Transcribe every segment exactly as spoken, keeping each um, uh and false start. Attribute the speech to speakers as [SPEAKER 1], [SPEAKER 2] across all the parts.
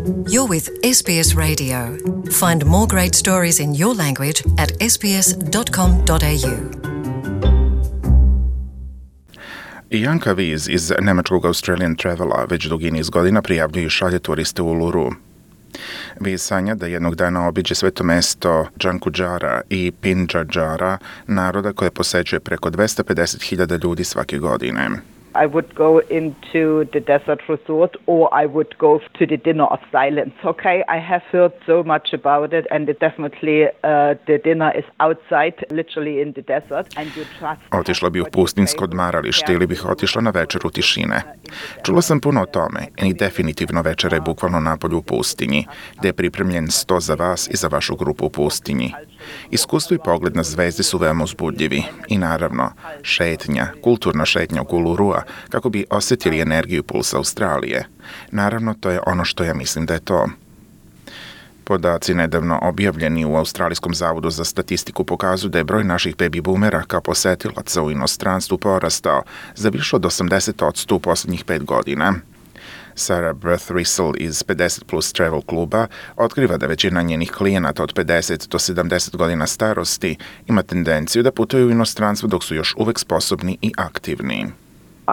[SPEAKER 1] You're with S B S Radio. Find more great stories in your language at s b s dot com dot a u.
[SPEAKER 2] Janka Viz iz nemačkog Australian Travela već dugi niz godina prijavljuje i šalje turiste u Uluru. Viz sanja da jednog dana obiđe sveto mesto Džankudžara i Pindžadžara, naroda koje posećuje preko dvesta pedeset hiljada ljudi svake godine.
[SPEAKER 3] I would go into the desert resort or I would go to the dinner of silence. Okay, I have heard so much about it, and it definitely uh, the dinner is outside, literally in the desert, and you trust.
[SPEAKER 2] Otišla bi u pustinsko odmaralište ili bih otišla na večeru tišine. Čula sam puno o tome i definitivno večera je bukvalno napolju u pustinji, gde je pripremljen sto za vas i za vašu grupu u pustinji. Iskustvo i pogled na zvezde su veoma uzbudljivi i naravno šetnja, kulturna šetnja oko Ulurua kako bi osjetili energiju pulsa Australije. Naravno, to je ono što ja mislim da je to. Podaci nedavno objavljeni u Australijskom zavodu za statistiku pokazuju da je broj naših baby boomera kao posetilaca u inostranstvu porastao za više od osamdeset posto u posljednjih pet godina. Sarah Birthristle iz pedeset plus Travel kluba otkriva da većina njenih klijenata od pedeset do sedamdeset godina starosti ima tendenciju da putuju u inostranstvo dok su još uvek sposobni i aktivni.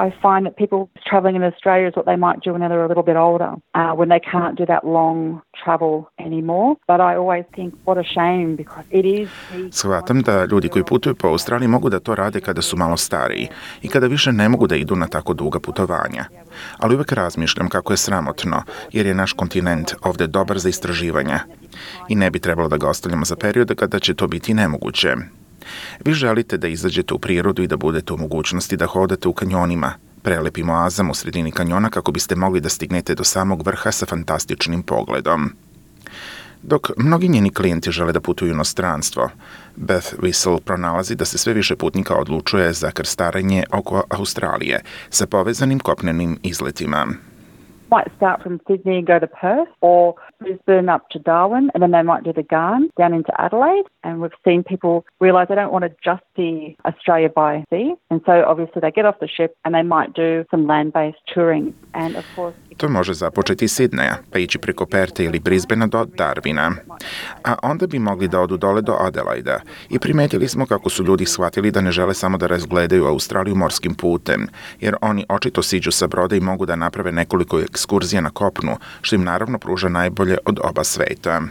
[SPEAKER 4] I find that people travelling in Australia is what they might do when they're a little bit older, uh, when they can't do that long travel anymore. But I always think, what a shame, because it is...
[SPEAKER 2] Shvatam da ljudi koji putuju po Australiji mogu da to rade kada su malo stariji i kada više ne mogu da idu na tako duga putovanja. Ali uvek razmišljam kako je sramotno, jer je naš kontinent ovde dobar za istraživanja i ne bi trebalo da ga ostavljamo za periode kada će to biti nemoguće. Vi želite da izađete u prirodu i da budete u mogućnosti da hodate u kanjonima, prelepim oazama u sredini kanjona kako biste mogli da stignete do samog vrha sa fantastičnim pogledom. Dok mnogi njeni klijenti žele da putuju u inostranstvo, Beth Whistle pronalazi da se sve više putnika odlučuje za krstarenje oko Australije sa povezanim kopnenim izletima.
[SPEAKER 4] Might start from Sydney and go to Perth, or Brisbane up to Darwin, and then they might do the Garn down into Adelaide. And we've seen people realise they don't want to just see Australia by sea, and so obviously they get off the ship and they might do some land-based touring. And of course,
[SPEAKER 2] to može započeti iz Sidneja, pa ići preko Perta ili Brisbanea do Darwina. A onda bi mogli da odu dole do Adelaida. I primetili smo kako su ljudi shvatili da ne žele samo da razgledaju Australiju morskim putem, jer oni očito siđu sa broda i mogu da naprave nekoliko ekskurzija na kopnu, što im naravno pruža najbolje od oba sveta.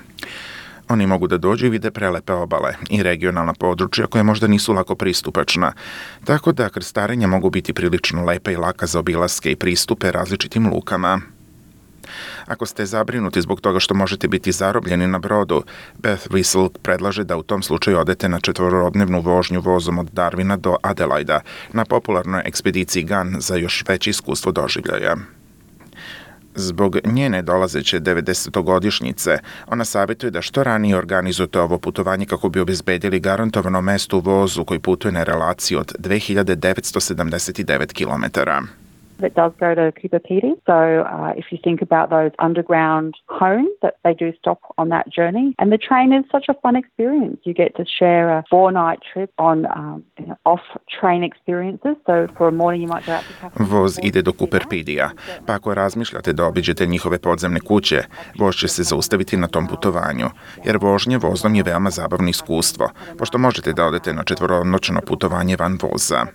[SPEAKER 2] Oni mogu da dođu i vide prelepe obale i regionalna područja koje možda nisu lako pristupačna, tako da krstarenja mogu biti prilično lepa i laka za obilaske i pristupe različitim lukama. Ako ste zabrinuti zbog toga što možete biti zarobljeni na brodu, Beth Whistle predlaže da u tom slučaju odete na četvorodnevnu vožnju vozom od Darwina do Adelaida na popularnoj ekspediciji Gun za još veće iskustvo doživljaja. Zbog njene dolazeće devedesetogodišnjice, ona savjetuje da što ranije organizujete ovo putovanje kako bi obezbedili garantovano mesto u vozu koji putuje na relaciji od dve hiljade devetsto sedamdeset devet kilometara.
[SPEAKER 4] It does go to Cooper Pedy, so uh, if you think about those underground homes that they do stop on that journey, and the train is such a fun experience. You get to share a four-night trip on um, you know, off-train experiences, so for a morning you might go out to cafe.
[SPEAKER 2] Voz ide do Cooper Pedija, pa ako razmišljate da obiđete njihove podzemne kuće, voz će se zaustaviti na tom putovanju, jer vožnje vozom je veoma zabavno iskustvo, pošto možete da odete na četvoronoćno putovanje van voza.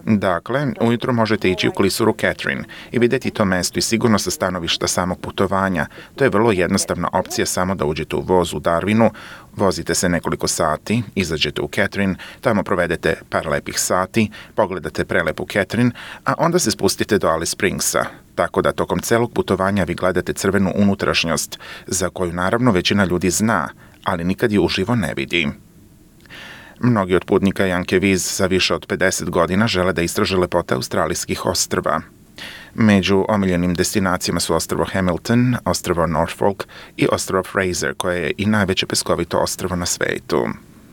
[SPEAKER 2] Dakle, ujutro možete ići u klisuru Catherine i vidjeti to mesto i sigurno sa stanovišta samog putovanja. To je vrlo jednostavna opcija samo da uđete u voz u Darwinu, vozite se nekoliko sati, izađete u Catherine, tamo provedete par lepih sati, pogledate prelepu Catherine, a onda se spustite do Alice Springsa. Tako da tokom celog putovanja vi gledate crvenu unutrašnjost, za koju naravno većina ljudi zna, ali nikad je uživo ne vidi. Mnogi od putnika Janke Viz sa više od pedeset godina žele da istraže lepote australijskih ostrva. Među omiljenim destinacijama su ostrvo Hamilton, ostrvo Norfolk i ostrvo Fraser, koje je i najveće peskovito ostrvo na svetu.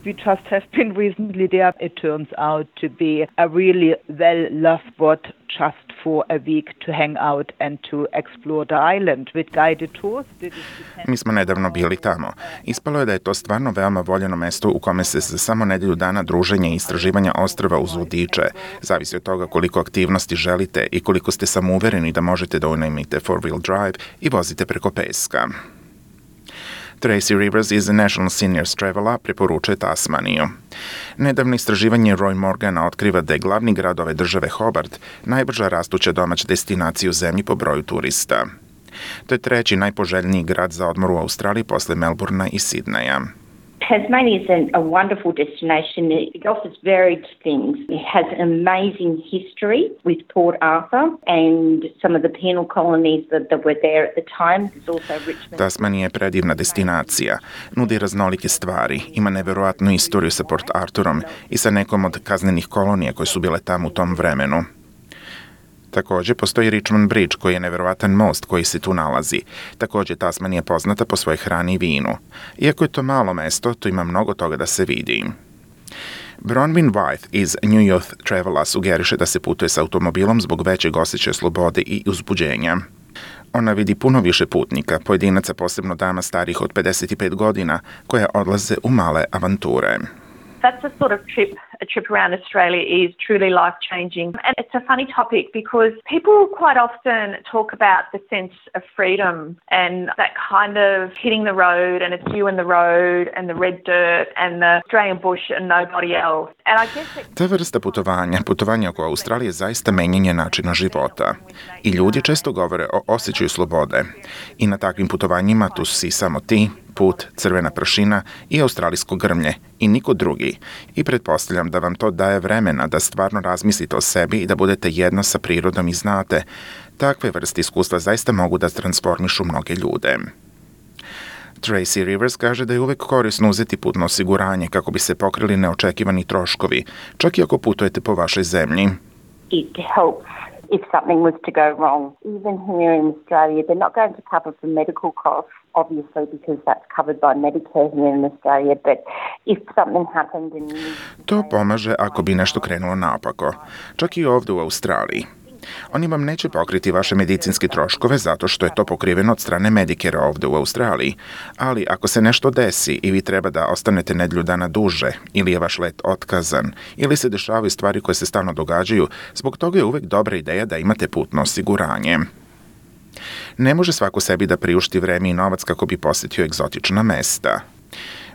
[SPEAKER 3] We just have been recently there. It turns out to be a really well-loved spot just for a week to hang out and to explore the island with guided tours.
[SPEAKER 2] Mi smo nedavno bili tamo. Ispalo je da je to stvarno veoma voljeno mesto u kome se za samo nedelju dana druženja i istraživanja ostrva uz vodiče. Zavisi od toga koliko aktivnosti želite i koliko ste samouvereni da možete da unajmite four-wheel drive i vozite preko peska. Tracy Rivers iz National Seniors Travela preporučuje Tasmaniju. Nedavno istraživanje Roy Morgana otkriva da je glavni grad ove države Hobart najbrža rastuća domaća destinacija u zemlji po broju turista. To je treći najpoželjniji grad za odmor u Australiji posle Melbournea i Sidneja.
[SPEAKER 5] Tasmania is a, a wonderful destination. It offers varied things. It has an amazing history with Port Arthur and some of the penal colonies that, that were there at the time. There's also Richmond.
[SPEAKER 2] Tasmanija je predivna destinacija. Nudi raznolike stvari. Ima neverovatnu istoriju sa Port Arthurom i sa nekom od kaznenih kolonija koje su bile tamo u tom vremenu. Također postoji Richmond Bridge koji je neverovatan most koji se tu nalazi. Također Tasmanija je poznata po svojoj hrani i vinu. Iako je to malo mesto, tu ima mnogo toga da se vidi. Bronwyn Wythe iz New Youth Travela sugeriše da se putuje s automobilom zbog većeg osjećaja slobode i uzbuđenja. Ona vidi puno više putnika, pojedinaca, posebno dama starih od pedeset pet godina, koje odlaze u male avanture.
[SPEAKER 6] That's a sort of trip, a trip around Australia is truly life-changing. And it's a funny topic because people quite often talk about the sense of freedom and that kind of hitting the road and it's you and the road and the red dirt and the Australian bush and nobody else. And I guess it...
[SPEAKER 2] Ta vrsta putovanja, putovanja oko Australije je zaista menjanje načina života. I ljudi često govore o osjećaju slobode. I na takvim putovanjima tu si samo ti, put, crvena prašina i australijsko grmlje i niko drugi. I pretpostavljam da vam to daje vremena da stvarno razmislite o sebi i da budete jedno sa prirodom i znate. Takve vrste iskustva zaista mogu da transformišu mnoge ljude. Tracy Rivers kaže da je uvek korisno uzeti putno osiguranje kako bi se pokrili neočekivani troškovi, čak i ako putujete po vašoj zemlji.
[SPEAKER 5] It helps if something was to go wrong. Even here in Australia, they're not going to cover for medical costs, obviously, because that's covered by Medicare here in Australia, but if something happened and you...
[SPEAKER 2] To pomaže ako bi nešto krenulo naopako, čak i ovdje u Australiji. Oni vam neće pokriti vaše medicinske troškove zato što je to pokriveno od strane Medicare ovdje u Australiji, ali ako se nešto desi i vi treba da ostanete nedelju dana duže, ili je vaš let otkazan, ili se dešavaju stvari koje se stalno događaju, zbog toga je uvek dobra ideja da imate putno osiguranje. Ne može svako sebi da priušti vreme i novac kako bi posjetio egzotična mesta.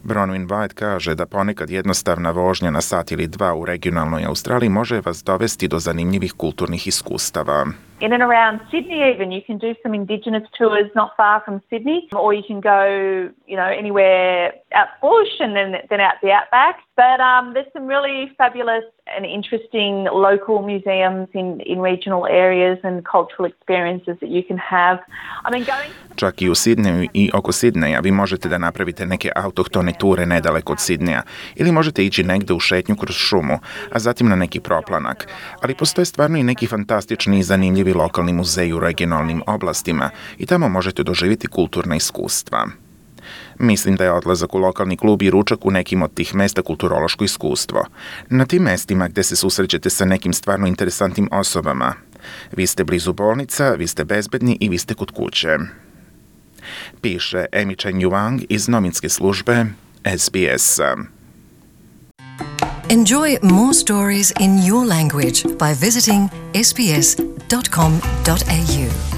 [SPEAKER 2] Bronwyn Wythe kaže da ponekad jednostavna vožnja na sat ili dva u regionalnoj Australiji može vas dovesti do zanimljivih kulturnih iskustava.
[SPEAKER 6] In and around Sydney even, you can do some indigenous tours not far from Sydney, or you can go, you know, anywhere out bush and then, then out the outback. But um, there's some really fabulous and interesting local museums in, in regional areas and cultural experiences that you can have. I mean, going...
[SPEAKER 2] Čak i u Sidneju i oko Sidneja vi možete da napravite neke autohtone ture nedaleko od Sidneja ili možete ići negde u šetnju kroz šumu, a zatim na neki proplanak. Ali postoje stvarno i neki fantastični i zanimljivi lokalni muzeji u regionalnim oblastima i tamo možete doživjeti kulturna iskustva. Mislim da je odlazak u lokalni klub i ručak u nekim od tih mesta kulturološko iskustvo. Na tim mestima gde se susrećete sa nekim stvarno interesantnim osobama. Vi ste blizu bolnica, vi ste bezbedni i vi ste kod kuće. Piše Amy Chen Yuang iz novinske službe S B S-a.
[SPEAKER 1] Enjoy more stories in your language by visiting s b s dot com dot a u.